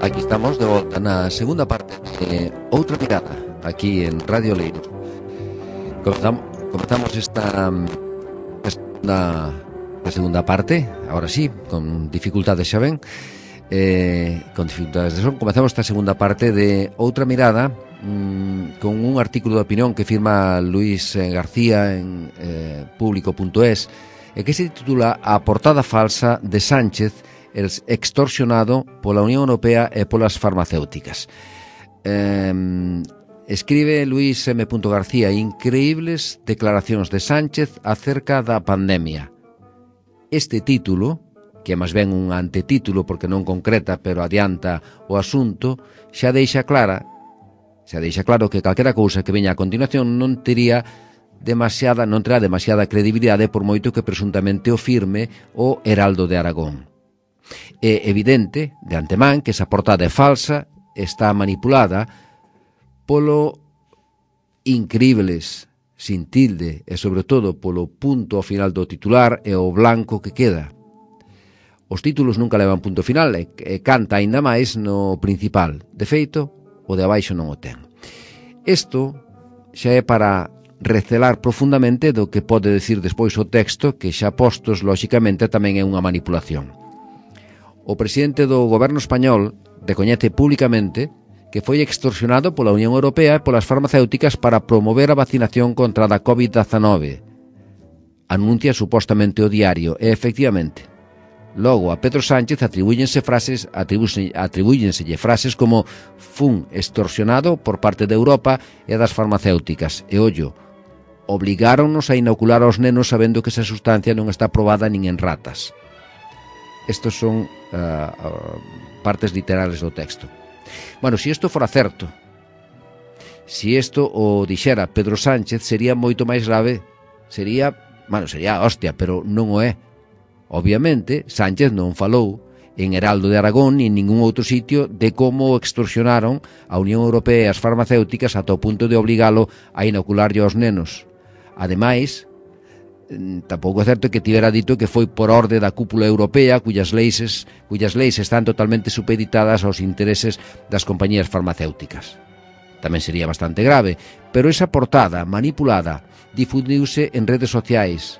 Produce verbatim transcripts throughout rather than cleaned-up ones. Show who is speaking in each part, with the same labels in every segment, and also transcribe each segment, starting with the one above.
Speaker 1: aquí estamos de volta na segunda parte de Outra Mirada, aquí en Radio Leiro. Comezamos, comezamos esta, esta, esta segunda parte, ahora sí, con dificultades, xa ven, eh, con dificultades de son. Comezamos esta segunda parte de Outra Mirada mmm, con un artículo de opinión que firma Luis García en eh, público punto es e que se titula A portada falsa de Sánchez extorsionado pola Unión Europea e polas farmacéuticas. Eh, escribe Luis M. García: increíbles declaracións de Sánchez acerca da pandemia. Este título, que é máis ben un antetítulo porque non concreta, pero adianta o asunto, xa deixa clara, xa deixa claro que calquera cousa que veña a continuación non tería demasiada, non terá demasiada credibilidade por moito que presuntamente o firme o Heraldo de Aragón. É evidente, de antemán, que esa portada é falsa, está manipulada polo increíbles, sin tilde, e sobre todo polo punto ao final do titular e o blanco que queda. Os títulos nunca levan punto final e, e canta aínda máis no principal. De feito, o de abaixo non o ten. Isto xa é para recelar profundamente do que pode decir despois o texto, que xa postos, lóxicamente, tamén é unha manipulación. O presidente do goberno español recoñece públicamente que foi extorsionado pola Unión Europea e polas farmacéuticas para promover a vacinación contra a covid dezanove. Anuncia supostamente o diario, e efectivamente. Logo, a Pedro Sánchez atribúyense frases, atribúyenselle frases como fun extorsionado por parte de Europa e das farmacéuticas. E ollo, obligáronnos a inocular aos nenos sabendo que esa sustancia non está probada nin en ratas. Estos son uh, uh, partes literales do texto. Bueno, se isto fora certo, se isto o dixera Pedro Sánchez, sería moito máis grave. Sería, bueno, sería hostia, pero non o é. Obviamente, Sánchez non falou en Heraldo de Aragón ni en ningún outro sitio de como extorsionaron a Unión Europea e as farmacéuticas ata o punto de obligalo a inocularlle aos nenos. Ademais, tampouco é certo que tivera dito que foi por orde da cúpula europea cuyas leis, cuyas leis están totalmente supeditadas aos intereses das compañías farmacéuticas. Tamén sería bastante grave, pero esa portada manipulada difundiuse en redes sociais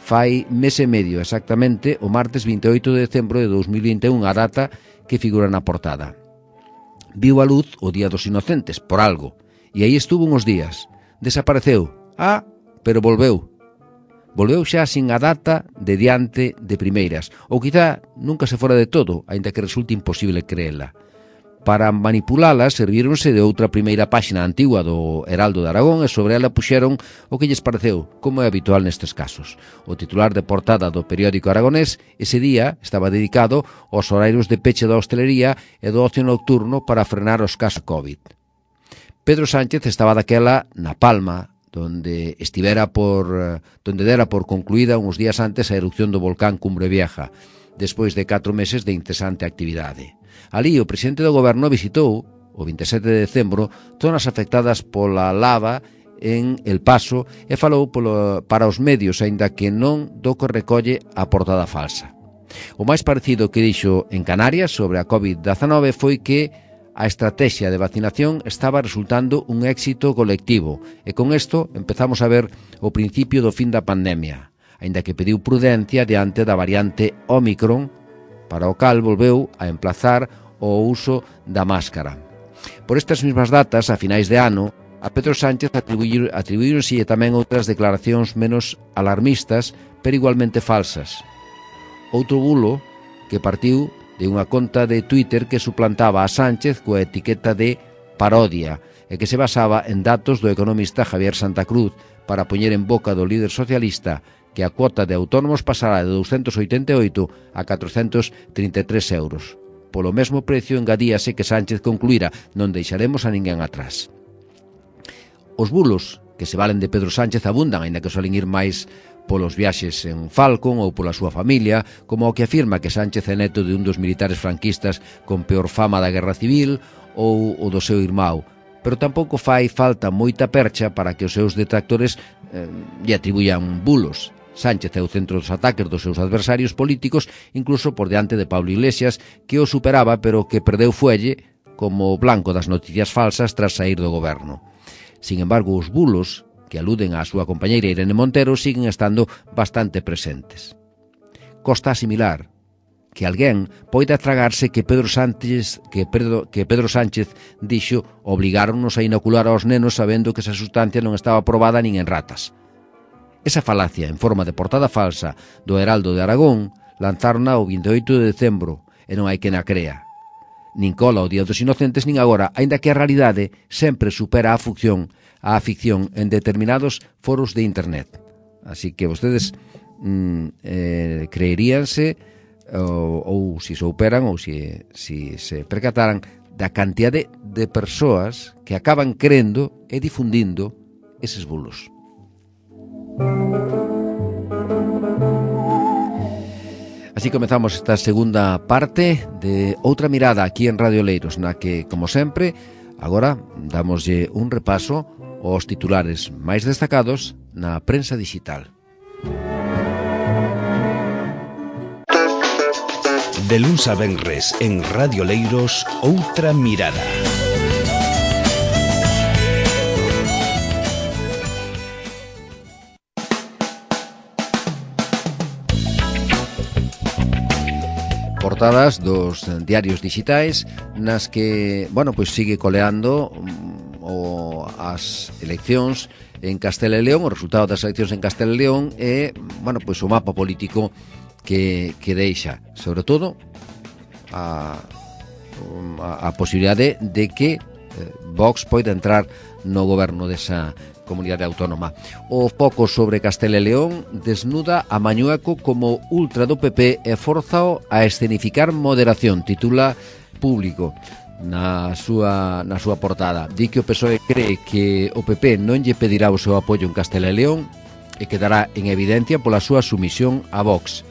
Speaker 1: fai mes e medio, exactamente o martes vinte e oito de decembro de dos mil vinte e un, a data que figura na portada. Viu a luz o Día dos Inocentes, por algo, e aí estuvo uns días. Desapareceu. Ah, pero volveu. Volveu xa sin a data de diante de primeiras, ou quizá nunca se fora de todo, aínda que resulte imposible creela. Para manipulala servíronse de outra primeira páxina antigua do Heraldo de Aragón e sobre ela puxeron o que lles pareceu, como é habitual nestes casos. O titular de portada do periódico aragonés ese día estaba dedicado aos horarios de peche da hostelería e do ocio nocturno para frenar os casos COVID. Pedro Sánchez estaba daquela na Palma, donde estivera por donde dera por concluída uns días antes a erupción do volcán Cumbre Vieja, despois de catro meses de incesante actividade. Alí o presidente do goberno visitou, o vinte e sete de decembro, zonas afectadas pola lava en El Paso e falou polo, para os medios, aínda que non do que recolle a portada falsa. O máis parecido que dixo en Canarias sobre a covid dezanove foi que a estrategia de vacinación estaba resultando un éxito colectivo e con isto empezamos a ver o principio do fin da pandemia, aínda que pediu prudencia diante da variante Ómicron, para o cal volveu a emplazar o uso da máscara. Por estas mesmas datas, a finais de ano, a Pedro Sánchez atribuíronse tamén outras declaracións menos alarmistas, pero igualmente falsas. Outro bulo que partiu de unha conta de Twitter que suplantaba a Sánchez coa etiqueta de parodia e que se basaba en datos do economista Javier Santa Cruz para poñer en boca do líder socialista que a cuota de autónomos pasará de douscentos oitenta e oito a catrocentos trinta e tres euros. Polo mesmo precio engadíase que Sánchez concluíra: non deixaremos a ninguén atrás. Os bulos que se valen de Pedro Sánchez abundan, aínda que solen ir máis polos viaxes en Falcon ou pola súa familia, como o que afirma que Sánchez é neto de un dos militares franquistas con peor fama da Guerra Civil ou o do seu irmão, pero tampouco fai falta moita percha para que os seus detractores eh, lle atribuyan bulos. Sánchez é o centro dos ataques dos seus adversarios políticos, incluso por diante de Pablo Iglesias, que o superaba pero que perdeu fuelle como blanco das noticias falsas tras sair do goberno. Sin embargo, os bulos que aluden á súa compañeira Irene Montero siguen estando bastante presentes. Costa asimilar que alguén poida tragarse que Pedro Sánchez que Pedro, que Pedro Sánchez dixo obligáronnos a inocular aos nenos sabendo que esa sustancia non estaba probada nin en ratas. Esa falacia en forma de portada falsa do Heraldo de Aragón lanzarna o vinte e oito de decembro e non hai quen a crea. Nin cola o Día dos Inocentes nin agora, aínda que a realidade sempre supera a ficción, a ficción en determinados foros de internet. Así que vostedes mm, eh, creeríanse ou, ou si souperan ou si, si se percataran da cantidade de persoas que acaban crendo e difundindo eses bulos. Así comezamos esta segunda parte de Outra Mirada aquí en Radio Oleiros, na que, como sempre, agora damoslle un repaso aos titulares máis destacados na prensa digital.
Speaker 2: De luns a venres en Radio Oleiros, Outra Mirada.
Speaker 1: Portadas dos diarios digitais nas que, bueno, pois sigue coleando o as eleccións en Castela e León, o resultado das eleccións en Castela e León e, bueno, pois o mapa político que, que deixa, sobre todo a, a, a posibilidade de que Vox poida entrar no goberno desa comunidade autónoma. O foco sobre Castela e León desnuda a Mañueco como ultra do P P e forzao a escenificar moderación, titula Público na súa, na súa portada. Di que o P S O E cree que o P P non lle pedirá o seu apoio en Castela e León e quedará en evidencia pola súa sumisión a Vox.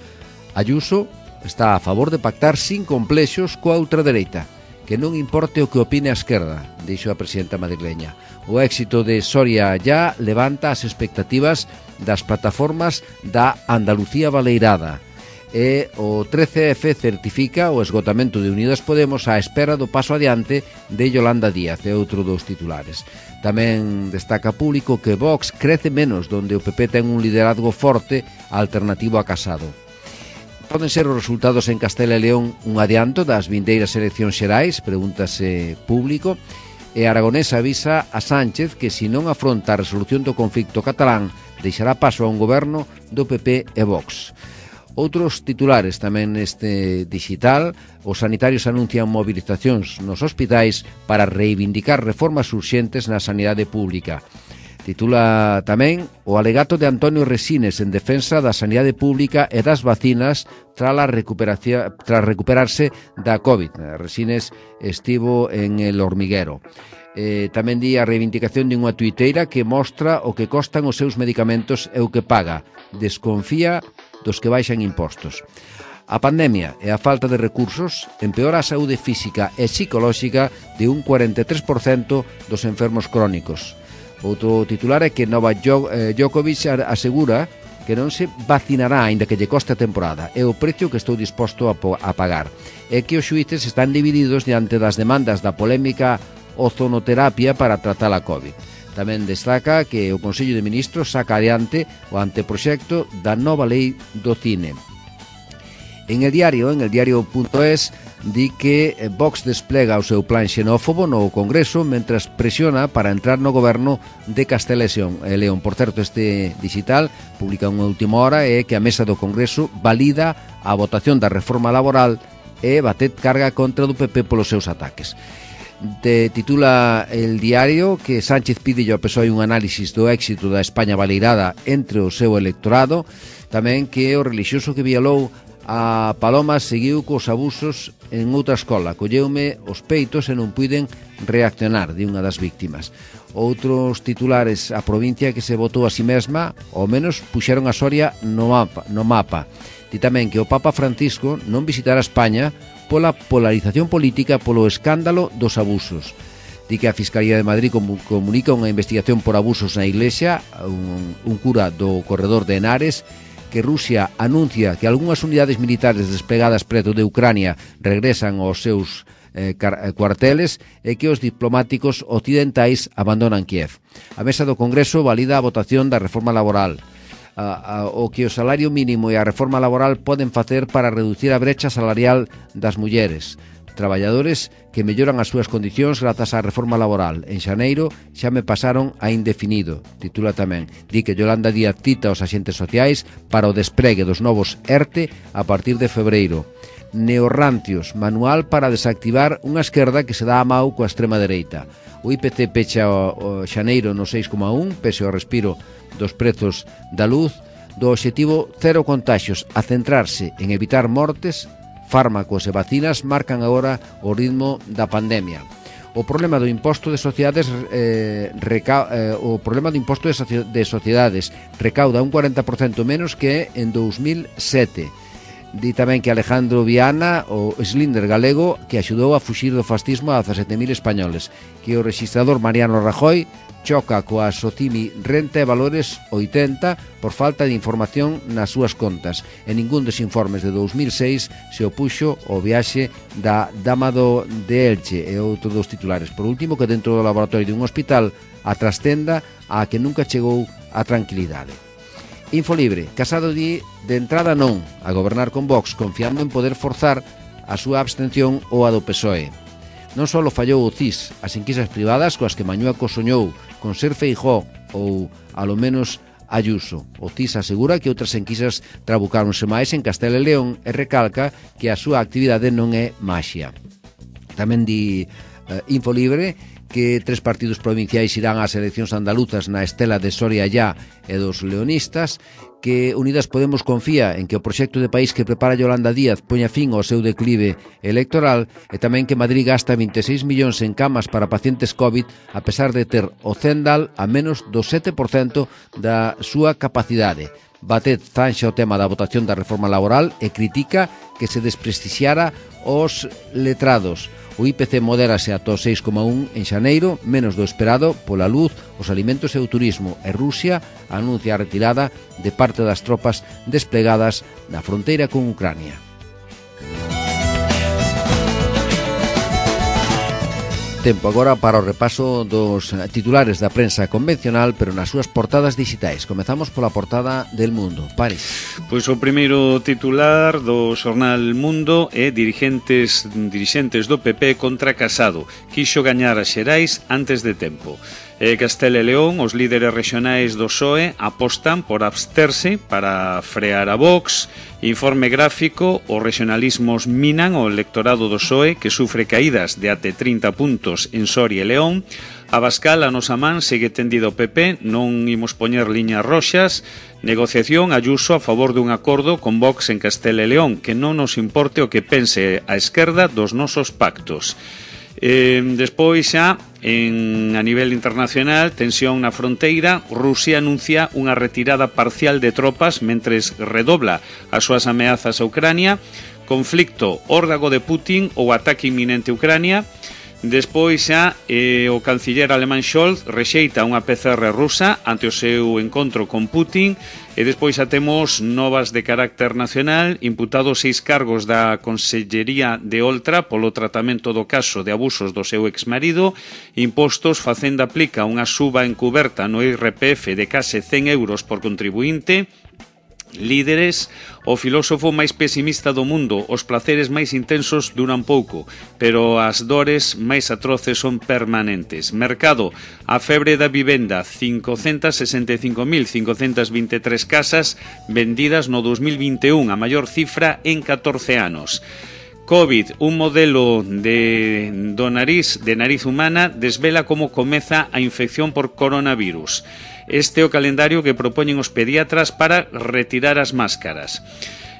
Speaker 1: Ayuso está a favor de pactar sin complexos coa ultradereita, que non importe o que opine a esquerda, dixo a presidenta madrileña. O éxito de Soria Ya levanta as expectativas das plataformas da Andalucía Baleirada e o trece F certifica o esgotamento de Unidas Podemos á espera do paso adiante de Yolanda Díaz, é outro dos titulares. Tamén destaca Público que Vox crece menos donde o P P ten un liderazgo forte alternativo a Casado. Poden ser os resultados en Castela e León un adianto das vindeiras eleccións xerais, pregúntase Público, e Aragonés avisa a Sánchez que se non afronta a resolución do conflito catalán deixará paso a un goberno do P P e Vox. Outros titulares tamén neste digital, os sanitarios anuncian movilizacións nos hospitais para reivindicar reformas urxentes na sanidade pública. Titula tamén o alegato de Antonio Resines en defensa da sanidade pública e das vacinas tras tras recuperarse da COVID. Resines estivo en El Hormiguero. Eh, tamén di a reivindicación de unha tuiteira que mostra o que costan os seus medicamentos e o que paga. Desconfía dos que baixan impostos. A pandemia e a falta de recursos empeora a saúde física e psicolóxica de un cuarenta e tres por cento dos enfermos crónicos. Outro titular é que Novak Djokovic asegura que non se vacinará aínda que lle coste a temporada. É o precio que estou disposto a, a pagar. É que os xuíces están divididos diante das demandas da polémica ozonoterapia para tratar a COVID. Tamén destaca que o Consello de Ministros saca adiante o anteproxecto da nova lei do cine. En el diario, en el diario.es, di que Vox desplega o seu plan xenófobo no Congreso mentras presiona para entrar no goberno de Castela e León. Por certo, este digital publica unha última hora e que a mesa do Congreso valida a votación da reforma laboral e batet carga contra do P P polos seus ataques. Te titula el diario que Sánchez pide ao P S O E un análisis do éxito da España baleirada entre o seu electorado, tamén que o relixioso que violou a Paloma seguiu cos abusos en outra escola, colleume os peitos e non puiden reaccionar, di unha das víctimas. Outros titulares, a provincia que se votou a si mesma, ao menos puxeron a Soria no mapa, no mapa. Di tamén que o Papa Francisco non visitará España pola polarización política polo escándalo dos abusos. Di que a Fiscalía de Madrid comunica unha investigación por abusos na Iglesia, un, un cura do corredor de Henares que Rusia anuncia que algunhas unidades militares desplegadas preto de Ucrania regresan aos seus eh, cuarteles e que os diplomáticos occidentais abandonan Kiev. A mesa do Congreso valida a votación da reforma laboral. A, a, o que o salario mínimo e a reforma laboral poden facer para reducir a brecha salarial das mulleres. Traballadores que melloran as súas condicións grazas á reforma laboral. En xaneiro xa me pasaron a indefinido, titula tamén. Di que Yolanda Díaz cita os axentes sociais para o despregue dos novos ERTE a partir de febreiro. Neorrancios, manual para desactivar unha esquerda que se dá a mau coa extrema dereita. O I P C pecha o, o xaneiro no seis coma un, pese ao respiro dos prezos da luz, do obxectivo cero contaxios a centrarse en evitar mortes. Fármacos e vacinas marcan agora o ritmo da pandemia. O problema do imposto de sociedades eh, reca, eh, o problema do imposto de, soci, de sociedades recauda un cuarenta por cento menos que en dous mil sete. Di tamén que Alejandro Viana, o Slinder galego, que axudou a fuxir do fascismo a dezasete mil españoles, que o rexistrador Mariano Rajoy choca coa Socimi Renta e Valores oitenta por falta de información nas súas contas. En ningún dos informes de dous mil seis se opuxo o viaxe da Dama do de Elche e outro dos titulares. Por último, que dentro do laboratorio dun hospital a trastenda a que nunca chegou a tranquilidade. Infolibre, Casado di de entrada non a gobernar con Vox, confiando en poder forzar a súa abstención ou a do P S O E. Non só fallou o C I S, as enquisas privadas coas que Mañueco soñou con ser Feijóo ou, alo menos, Ayuso. O C I S asegura que outras enquisas trabucáronse máis en Castela e León e recalca que a súa actividade non é maxia. Tamén di eh, Infolibre que tres partidos provinciais irán ás eleccións andaluzas na estela de Soria Allá e dos leonistas, que Unidas Podemos confía en que o proxecto de país que prepara Yolanda Díaz poña fin ao seu declive electoral e tamén que Madrid gasta vinte e seis millóns en camas para pacientes COVID a pesar de ter o Zendal a menos do sete por cento da súa capacidade. Batet zanxa o tema da votación da reforma laboral e critica que se desprestixiara os letrados. O I P C modérase ata o seis coma un en xaneiro, menos do esperado pola luz, os alimentos e o turismo, e Rusia anuncia a retirada de parte das tropas desplegadas na fronteira con Ucrania. Tempo agora para o repaso dos titulares da prensa convencional, pero nas súas portadas digitais. Comezamos pola portada del Mundo. Paris.
Speaker 3: Pois o primeiro titular do xornal Mundo é dirigentes, dirixentes do P P contra Casado. Quixo gañar as xerais antes de tempo. E Castela e León, os líderes rexionais do P S O E apostan por absterse para frear a Vox. Informe gráfico, os regionalismos minan o electorado do P S O E, que sufre caídas de até trinta puntos en Soria e León. Abascal, a nosa man, segue tendido o P P, non imos poñer liñas roxas. Negociación, Ayuso a favor dun acordo con Vox en Castela e León, que non nos importe o que pense a esquerda dos nosos pactos. Eh, despois xa, en, a nivel internacional, tensión na fronteira. Rusia anuncia unha retirada parcial de tropas mentres redobla as súas ameazas a Ucrania. Conflicto, órdago de Putin ou ataque inminente a Ucrania. Despois xa, eh, o canciller alemán Scholz rexeita unha P C R rusa ante o seu encontro con Putin. E despois xa temos novas de carácter nacional, imputados seis cargos da Consellería de Oltra polo tratamento do caso de abusos do seu exmarido. Impostos, Facenda aplica unha suba encuberta no I R P F de case cen euros por contribuinte. Líderes, o filósofo máis pesimista do mundo, os placeres máis intensos duran pouco, pero as dores máis atroces son permanentes. Mercado, a febre da vivenda, cincocentas sesenta e cinco mil cincocentas vinte e tres casas vendidas no dos mil vinte e un, a maior cifra en catorce anos. COVID, un modelo de, do nariz, de nariz humana, desvela como comeza a infección por coronavirus. Este é o calendario que propoñen os pediatras para retirar as máscaras.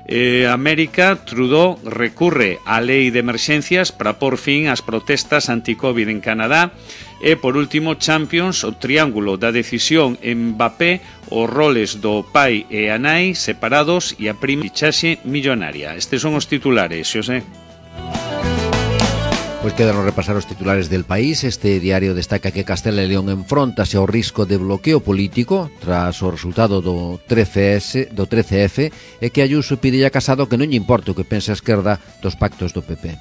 Speaker 3: Eh, América, Trudeau recurre á lei de emerxencias para por fin as protestas anti-COVID en Canadá. E, por último, Champions, o triángulo da decisión en Mbappé, os roles do pai e a nai separados e a prima fichaxe millonaria. Estes son os titulares, Xosé.
Speaker 1: Pois quedan repasar os titulares del país. Este diario destaca que Castela e León enfróntase ao risco de bloqueo político tras o resultado do trece ese, do trece efe, e que Ayuso pide a Casado que non lle importe o que pense a esquerda dos pactos do P P.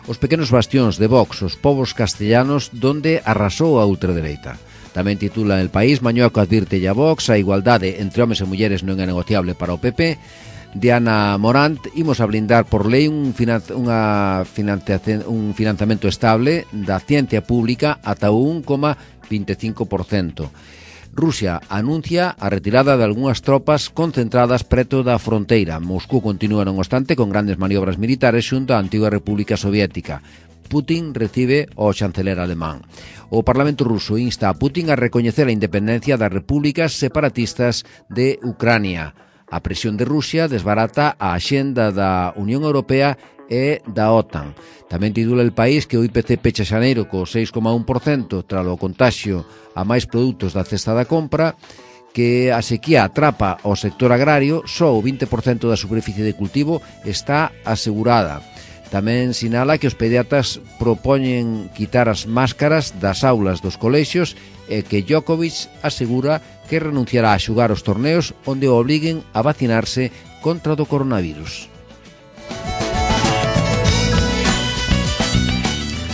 Speaker 1: Os pequenos bastións de Vox, os povos castellanos donde arrasou a ultradereita. Tamén titula El País, Mañueco advirte a Vox, a igualdade entre homes e mulleres non é negociable para o P P. Diana Morant, imos a blindar por lei un, finan unha financiación, un financiamento estable da ciencia pública ata o un coma vinte e cinco por cento. Rusia anuncia a retirada de algunhas tropas concentradas preto da fronteira. Moscú continúa, non obstante, con grandes maniobras militares xunto á antiga República Soviética. Putin recibe ao chanceler alemán. O Parlamento ruso insta a Putin a recoñecer a independencia das repúblicas separatistas de Ucrania. A presión de Rusia desbarata a axenda da Unión Europea e da OTAN. Tamén titula El País que o I P C pecha xaneiro co seis coma un por cento tralo contaxio a máis produtos da cesta da compra, que a sequía atrapa ao sector agrario, só o vinte por cento da superficie de cultivo está asegurada. Tamén sinala que os pediatras propoñen quitar as máscaras das aulas dos colexios e que Djokovic asegura que renunciará a xugar os torneos onde o obliguen a vacinarse contra o coronavirus.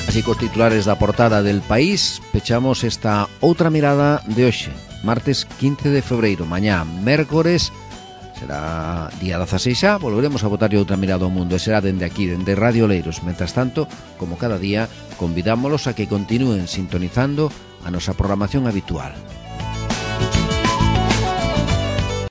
Speaker 1: Así, cos titulares da portada del País, pechamos esta outra mirada de hoxe, martes quince de febreiro, mañá, mércores, será día dezaseis xa, volveremos a botar outra mirada ao mundo, e será dende aquí, dende Radio Oleiros. Mentras tanto, como cada día, convidámolos a que continúen sintonizando a nosa programación habitual.